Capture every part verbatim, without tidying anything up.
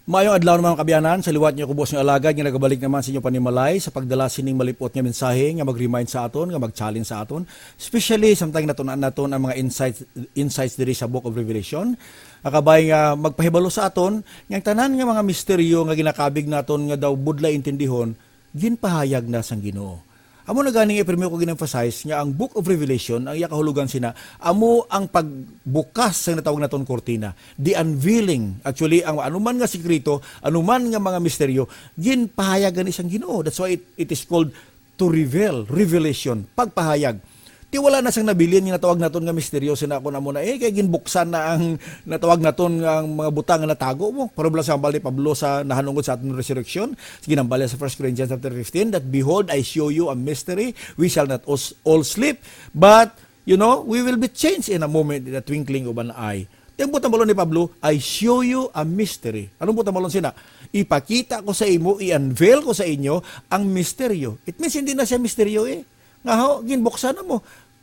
Maayong adlaw, mga kaabyanan, sa liwat niyo, kubos nga alagad nga nagabalik naman sa inyo panimalay sa pagdala sining malipot nga mensahe nga mag-remind sa aton, nga mag-challenge sa aton, especially samtang natun-an naton ang mga insights, insights diri sa Book of Revelation. Akabay nga magpahibalo sa aton nga ang tanan nga mga misteryo nga ginakabig naton nga daw budlay intindihon, ginpahayag na sang Ginoo. Amo na ganing ipirmi ko gin-emphasize nga ang Book of Revelation, ang iya kahulugan sina, amo ang pagbukas sa natawag naton kurtina, the unveiling. Actually, ang anuman nga sikreto, anuman nga mga misteryo, ginpahayag gani sang Ginoo. That's why it, it is called to reveal, revelation, pagpahayag. Ti wala na sang nabilin nga natawag naton nga misteryo, sina ako na muna eh, kay ginbuksan na ang natawag naton nga ang mga butang nga natago mo. Pero bala sa hambal ni Pablo sa nahanungod sa aton resurrection, ginhambal niya sa First Corinthians chapter fifteen, that, "Behold, I show you a mystery, we shall not os- all sleep, but, you know, we will be changed in a moment, in a twinkling of an eye." Ang butang balon ni Pablo, "I show you a mystery." Anong butang balon sina? "Ipakita ko sa imo, i-unveil ko sa inyo ang misteryo." It means, hindi na siya misteryo eh. Nga ho, ginbuksan na mo.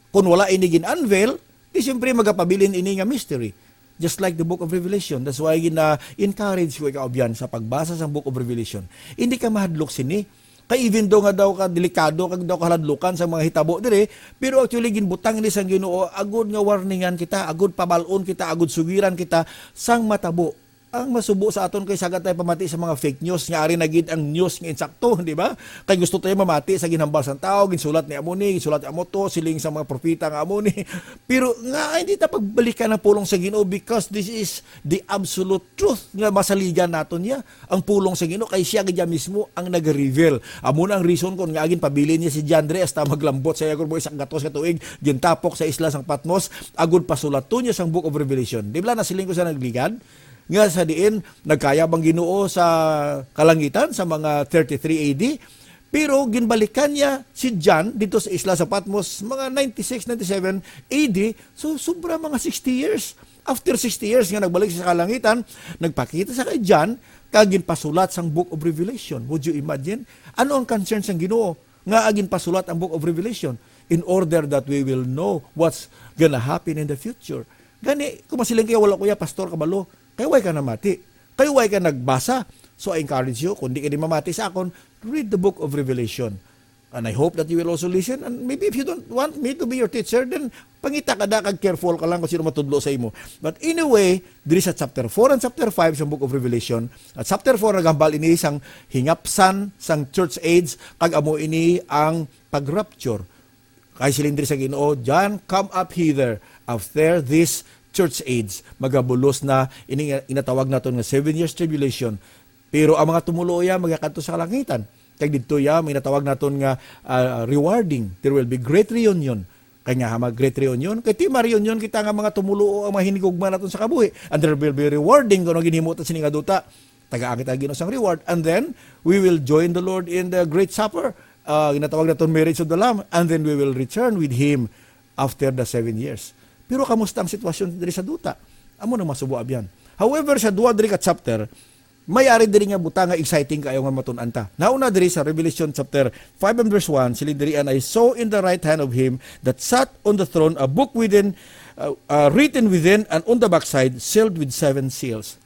Kung wala ini gin-unveil, di siyempre magapabilin ini nga mystery. Just like the Book of Revelation. That's why gina-encourage ko ikaw, abyan, sa pagbasa sa Book of Revelation. Hindi ka mahadlok sini. Kay even though nga daw ka delikado, kag daw kaladlukan sa mga hitabo dire, pero actually ginbutang ni sang Ginoo agud nga warningan kita, agud pabalon kita, agud sugiran kita sang matabo. Ang masubo sa aton kay sagad tayo pamati sa mga fake news nga ari na gid ang news nga insakto, di ba? Kay gusto tayo mamati sa ginhambal sang tao, ginsulat ni amo ni, ginsulat ni amo to, siling sa mga propeta nga amo ni. Pero nga hindi ta pagbalikan ang pulong sa Ginoo, because this is the absolute truth nga masaligan naton niya. Ang pulong sa Ginoo kay siya gid mismo ang nag-reveal. Amo na ang reason kung nga ginpabilin niya si John Dre hasta maglambot sa iya, kung isang gatos ka tuig, gintapok sa isla sang Patmos, agud pasulaton niya sang Book of Revelation. Di ba nasiling ko sa nagligad? Nga sa diin, nagkayab ang Ginoo sa kalangitan sa mga thirty-three A D. Pero ginbalikan niya si John dito sa isla sa Patmos, mga ninety-six, ninety-seven A D. So, sobra mga sixty years. After sixty years nga nagbalik siya sa kalangitan, nagpakita sa kay John, kag ginpasulat sang Book of Revelation. Would you imagine? Ano ang concern sang Ginoo nga ginpasulat ang Book of Revelation? In order that we will know what's gonna happen in the future. Gani, kung masiling kayo, "Wala ko ya, Pastor, kabalo." Kay way ka namati. Kay way ka nagbasa. So, I encourage you, kung di ka di mamati sa akon, read the Book of Revelation. And I hope that you will also listen. And maybe if you don't want me to be your teacher, then pangita ka da kag careful ka lang kung sino matudlo sa imo. But anyway, diri sa chapter four and chapter five sa Book of Revelation, at chapter four nagambal ini sang hingapsan sang church age, kag amo ini ang pag-rapture. Kay siling diri sa Ginoo, "John, come up hither after this church age." Magabulos na ini nga inatawag naton nga seven years tribulation. Pero ang mga tumuluo iya magakadto sa kalangitan. Kag didto iya, may natawag naton nga, ah, rewarding. There will be great reunion. Kay nga, ha, mag great reunion. Kay ti ma-reunion kita nga mga tumuluo ang mga hinigugma naton sa kabuhi. And there will be rewarding kung ano ginhimo ta sini nga duta. Tagaan kita Ginoo sang reward. And then, we will join the Lord in the great supper. Ah, ginatawag naton marriage of the Lamb. And then we will return with Him after the seven years. Pero kamusta ang sitwasyon diri sa duta? Amo na masubo, abyan. However, sa duha diri ka chapter, may ari diri nga butang nga exciting kaayo nga matun-an ta. Nauna diri sa Revelation chapter five and verse one, siling diri, "And I saw in the right hand of him that sat on the throne a book within, uh, uh, written within and on the backside, sealed with seven seals."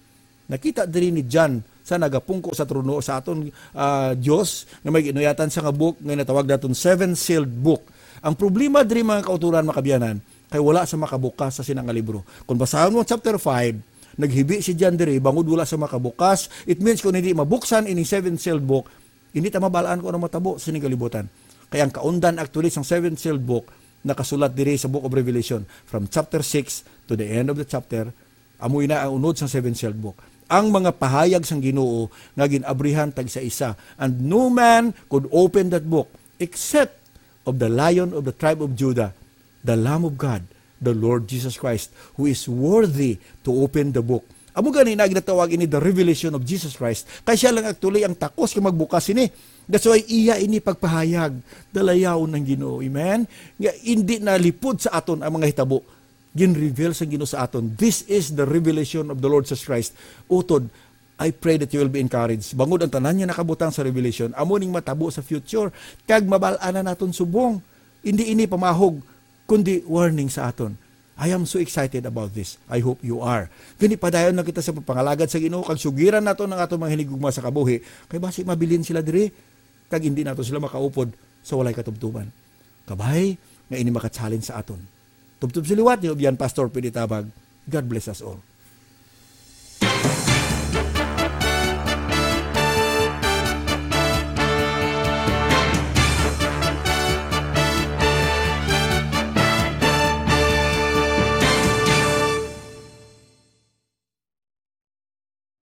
Nakita diri ni John sa nagapungko sa trono sa aton, ah, Dios nga may ginuyatan sa nga book nga natawag naton seven sealed book. Ang problema diri, mga kauturan, mga kabyanan, kay wala sa makabukas sa sina nga libro. Kung basahon mo ang chapter five, naghibi si John diri bangod wala sa makabukas. It means kung hindi mabuksan ining seven sealed book, hindi ta mabalaan kung ano matabo sa sining kalibutan. Kay ang kaundan actually sang seven sealed book nakasulat diri sa Book of Revelation from chapter six to the end of the chapter. Amo ina ang unod sang seven sealed book. Ang mga pahayag sang Ginoo nga gin-abrihan tagsa-isa, and no man could open that book except of the Lion of the tribe of Judah, the Lamb of God, the Lord Jesus Christ, who is worthy to open the book. Amo gani na ginatawag ini the revelation of Jesus Christ. Kay siya lang actually ang takos nga magbukas ini. That's why iya ini pagpahayag, dalayawon ng Ginoo. Amen? Nga hindi na lipod sa aton ang mga hitabo. Gin-reveal sa Ginoo sa aton. This is the revelation of the Lord Jesus Christ. Utod, I pray that you will be encouraged. Bangod ang tanan nga nakabutang sa revelation, amo ning matabo sa future. Kag mabal-an na naton subong. Hindi ini pamahog, kundi warning sa aton. I am so excited about this. I hope you are. Gani, padayon lang kita sa pagpangalagad sa Ginoo, kag sugiran nato ang aton mga hinigugma sa kabuhi, kay basi mabilin sila diri, kag hindi nato sila makaupod sa walay katubtuban. Kabay nga ini maka-challenge sa aton. Tubtob sa liwat, ni Obyan Pastor Pidi Tabag. God bless us all.